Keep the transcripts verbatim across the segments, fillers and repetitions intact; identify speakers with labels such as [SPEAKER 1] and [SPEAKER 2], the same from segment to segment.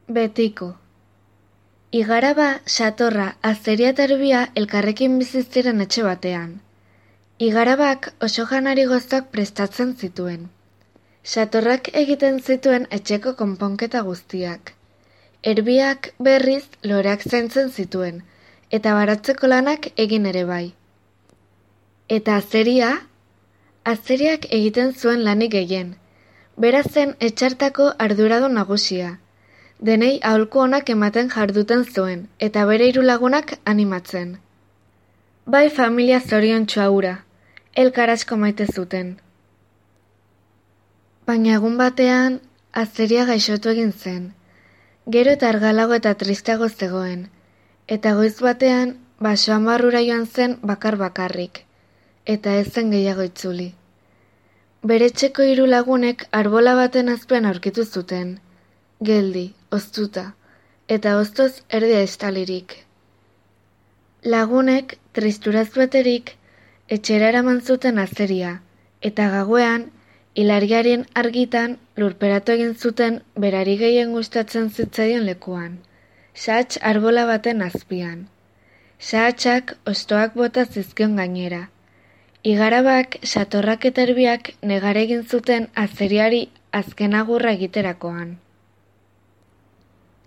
[SPEAKER 1] Betiko. Igaraba, Satorra, Azeria eta Erbia elkarrekin bizi ziren etxe batean. Igarabak oso janari gozoak prestatzen zituen. Satorrak egiten zituen etxeko konponketa guztiak. Erbiak berriz loreak zaintzen zituen, eta baratzeko lanak egin ere bai. Eta Azeria? Azeriak egiten zuen lanik gehien. Bera zen etxartako arduradun nagusia. Denei aholku onak ematen jarduten zuen, eta bere hiru lagunak animatzen. Bai familia zoriontsua hura, elkar asko maite zuten. Baina egun batean, Azeria gaixotu egin zen. Gero eta argalago eta tristeago zegoen, eta goiz batean basoan barrura joan zen bakar bakarrik, eta ez zen gehiago itzuli. Bere etxeko hiru lagunek arbola baten azpian aurkitu zuten, geldi, oztuta, eta oztoz erdia estalirik. Lagunek, tristuraz beterik, etxera eraman zuten Azeria, eta gauean, ilargiaren argitan lurperatu egin zuten berari gehien gustatzen zitzaion lekuan, sahats arbola baten azpian. Sahatsak ostoak bota zizkion gainera. Igarabak, Satorrak eta Erbiak negar egin zuten Azeriari azken agurra egiterakoan.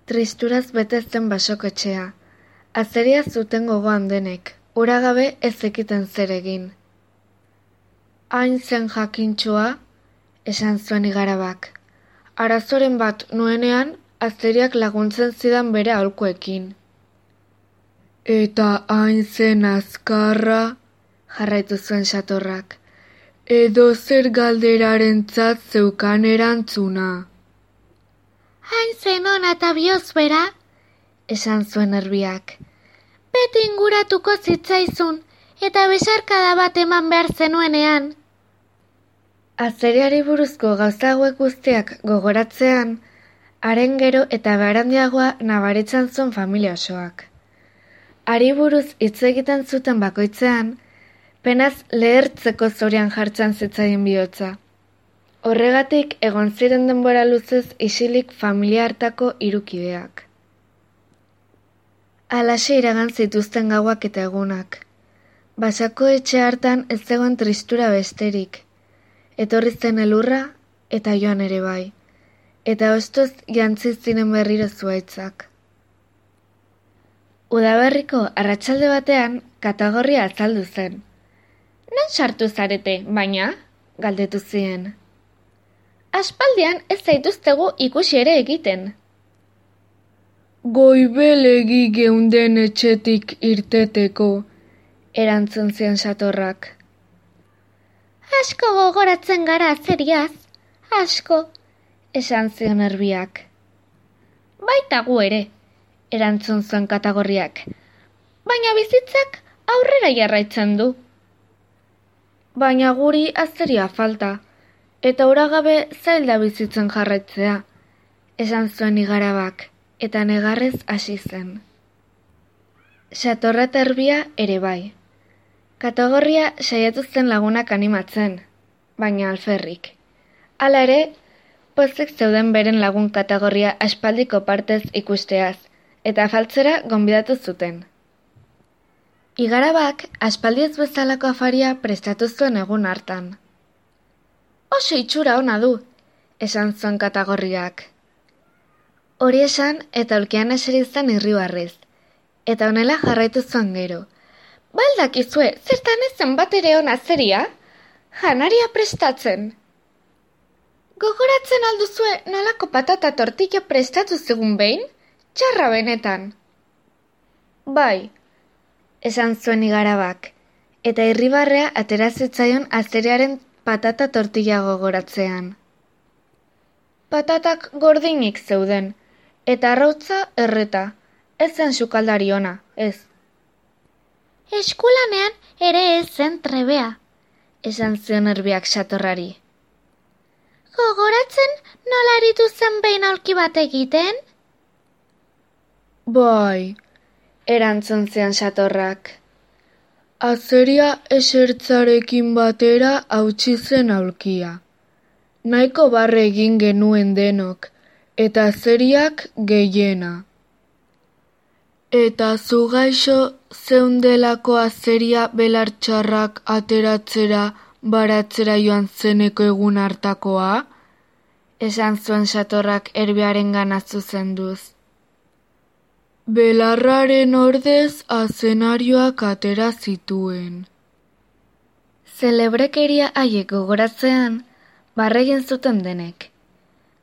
[SPEAKER 1] Tristuraz bete zen basoko etxea. Azeria zuten gogoan denek, ura gabe ez zekiten zer egin. Hain zen jakintxoa, esan zuen Igarabak. Arazoren bat nuenean, Azeriak laguntzen zidan bere aholkuekin. Eta hain zen azkarra, jarraitu zuen Satorrak, edo zer galderarentzat zeukan erantzuna.
[SPEAKER 2] Hain zen ona eta bihozbera, esan zuen Erbiak. Beti inguratuko zitzaizun, eta besarkada bat eman behar zenuenean.
[SPEAKER 1] Azeriari buruzko gauza hauek guztiak gogoratzean, haren gero eta berandiagoa nabaritzen zuen familia osoak. Hari buruz hitz egiten zuten bakoitzean, penaz lehertzeko zorian jartzen zitzaien bihotza. Horregatik egon ziren denbora luzez isilik familia hartako hirukideak. Halaxe iragan zituzten gauak eta egunak. Basako etxe hartan ez zegoen tristura besterik. Etorri zen elurra eta joan ere bai. Eta ostoz jantzi ziren berriro zuaitzak. Udaberriko arratsalde batean katagorria azaldu zen. Non sartu zarete, baina? Galdetu zien.
[SPEAKER 2] Aspaldian ez zaituztegu ikusi ere egiten.
[SPEAKER 1] Goibelegi geunden etxetik irteteko, erantzun zion Satorrak.
[SPEAKER 2] Asko gogoratzen gara Azeriaz, asko,
[SPEAKER 1] esan zion Erbiak.
[SPEAKER 2] Baita gu ere, erantzun zuen katagorriak, baina bizitzak aurrera jarraitzen du.
[SPEAKER 1] Baina guri Azeria falta, eta ura gabe zailda bizitzen jarraitzea, esan zuen Igarabak, eta negarrez hasi zen. Satorra eta Erbia ere bai. Katagorria saiatu zen lagunak animatzen, baina alferrik. Hala ere, pozik zeuden beren lagun katagorria aspaldiko partez ikusteaz, eta afaltzera gonbidatu zuten. Igarabak aspaldiez bezalako afaria prestatu zuen egun hartan. Oso itxura ona du, esan zuen katagorriak. Hori esan eta ulkian eseri zen irribarrez, eta honela jarraitu zuen gero. Baldakizue, zertan ezen bat ere ona Azeria? Janaria prestatzen. Gogoratzen alduzue nolako patata tortilla prestatu zegun behin? Txarra benetan. Bai, esan zuen Igarabak, eta irribarrea atera zitzaion Azeriaren patata tortilla gogoratzean. Patatak gordinik zeuden, eta arrautza erreta, ez zen sukaldari ona, ez.
[SPEAKER 2] Eskulanean ere ez zen trebea,
[SPEAKER 1] esan zion Erbiak Satorrari.
[SPEAKER 2] Gogoratzen nola aritu zen behin aulki bat egiten?
[SPEAKER 1] Bai, erantzun zion Satorrak. Azeria esertzarekin batera hautsi zen aulkia. Nahiko barre egin genuen denok, eta azeriak gehiena. Eta zu gaixo zeundelako azeria belartxarrak ateratzera baratzera joan zeneko egun hartakoa? Esan zuen Satorrak Erbiarengana zuzenduz. Belarraren ordez azenarioak atera zituen. Zelebrekeria haiek gogoratzean, barregin zuten denek.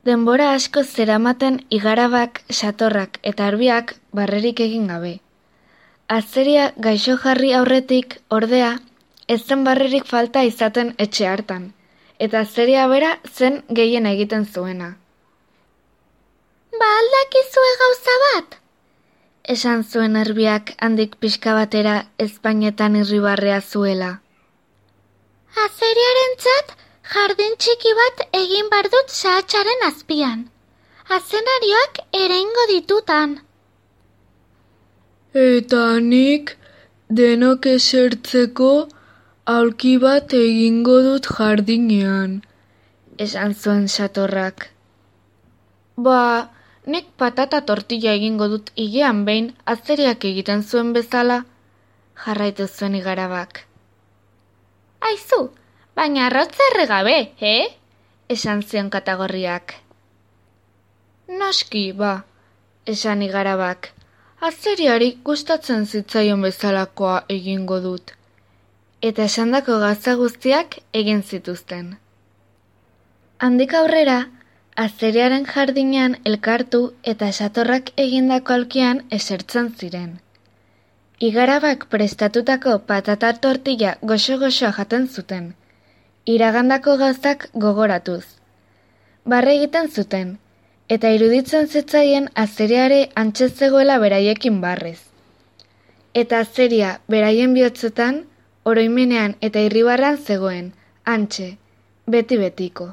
[SPEAKER 1] Denbora asko zeramaten Igarabak, Satorrak eta Erbiak barrerik egin gabe. Azeria gaixo jarri aurretik, ordea, ez zen barrerik falta izaten etxe hartan, eta azeria bera zen gehien egiten zuena.
[SPEAKER 2] Ba aldakizue gauza bat?
[SPEAKER 1] Esan zuen Erbiak handik pixka batera ezpainetan irribarrea zuela.
[SPEAKER 2] Azeriarentzat jardin txiki bat egin bar dut sahatsaren azpian. Azenarioak ereingo ditutan.
[SPEAKER 1] Eta nik denok esertzeko aulki bat egingo dut jardinean, esan zuen Satorrak. Ba, nik patata tortilla egingo dut hilean behin azeriak egiten zuen bezala, jarraitu zuen Igarabak.
[SPEAKER 2] Aizu, baina arrotza erregabe, eh?
[SPEAKER 1] Esan zion Katagorriak. Noski, ba, esan Igarabak. Azeriari gustatzen zitzaion bezalakoa egingo dut. Eta esandako gauza guztiak egin zituzten. Handik aurrera, azeriaren jardinean elkartu eta Satorrak egindako aulkian esertzen ziren. Igarabak prestatutako patata tortilla goxo-goxoa jaten zuten, iragandako gauzak gogoratuz. Barre egiten zuten, eta iruditzen zitzaien azeriare antxe zegoela beraiekin barrez. Eta azeria beraien bihotzetan, oroimenean eta irribarran zegoen, antxe, beti-betiko.